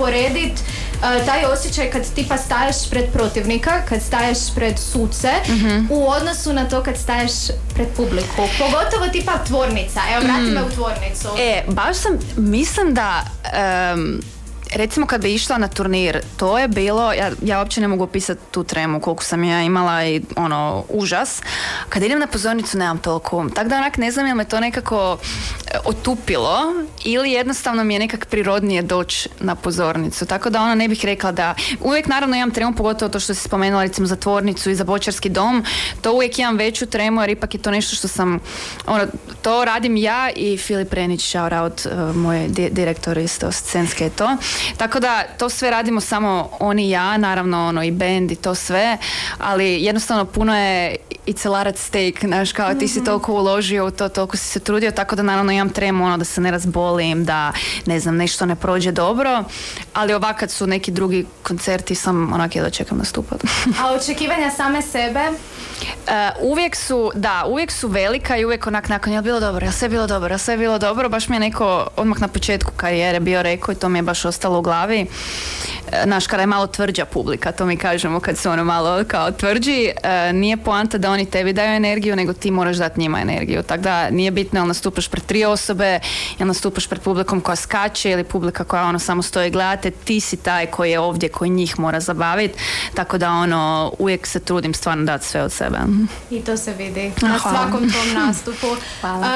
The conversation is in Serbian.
usporediti taj osjećaj kad tipa staješ pred protivnika, kad staješ pred suce, u odnosu na to kad staješ pred publiku. Pogotovo tipa tvornica. Evo, vrati me u tvornicu. Baš mislim da... recimo kad bi išla na turnir, to je bilo, ja uopće ne mogu opisati tu tremu koliko sam ja imala i užas. Kad idem na pozornicu nemam toliko. Tako da onak ne znam je me to nekako otupilo ili jednostavno mi je nekak prirodnije doći na pozornicu. Tako da ne bih rekla da... Uvijek naravno imam tremu, pogotovo to što si spomenula recimo za tvornicu i za bočarski dom. To uvijek imam veću tremu jer ipak je to nešto što sam... to radim ja i Filip Renić, shout out, moj direktor isto scenske je to. Tako da to sve radimo samo on i ja, naravno i band i to sve, ali jednostavno puno je it's a lot at stake, znaš, kao ti si toliko uložio u to, toliko si se trudio, tako da naravno imam tremu da se ne razbolim, da ne znam, nešto ne prođe dobro, ali ovak kad su neki drugi koncerti sam onak jedva čekam nastupati. A očekivanja same sebe? Uvijek su velika i uvijek onak nakon jel sve bilo dobro, baš mi je neko odmah na početku karijere bio rekao i to mi je baš ostalo u glavi. Znaš, kada je malo tvrđa publika, to mi kažemo kad su malo kao tvrđi, nije poanta da oni tebi daju energiju, nego ti moraš dati njima energiju. Tako da nije bitno jel nastupaš pred 3 osobe, jel nastupaš pred publikom koja skače ili publika koja samo stoji gledate, ti si taj koji je ovdje, koji njih mora zabaviti. Tako da uvijek se trudim stvarno dati sve od sebe. I to se vidi na svakom tom nastupu. Hvala.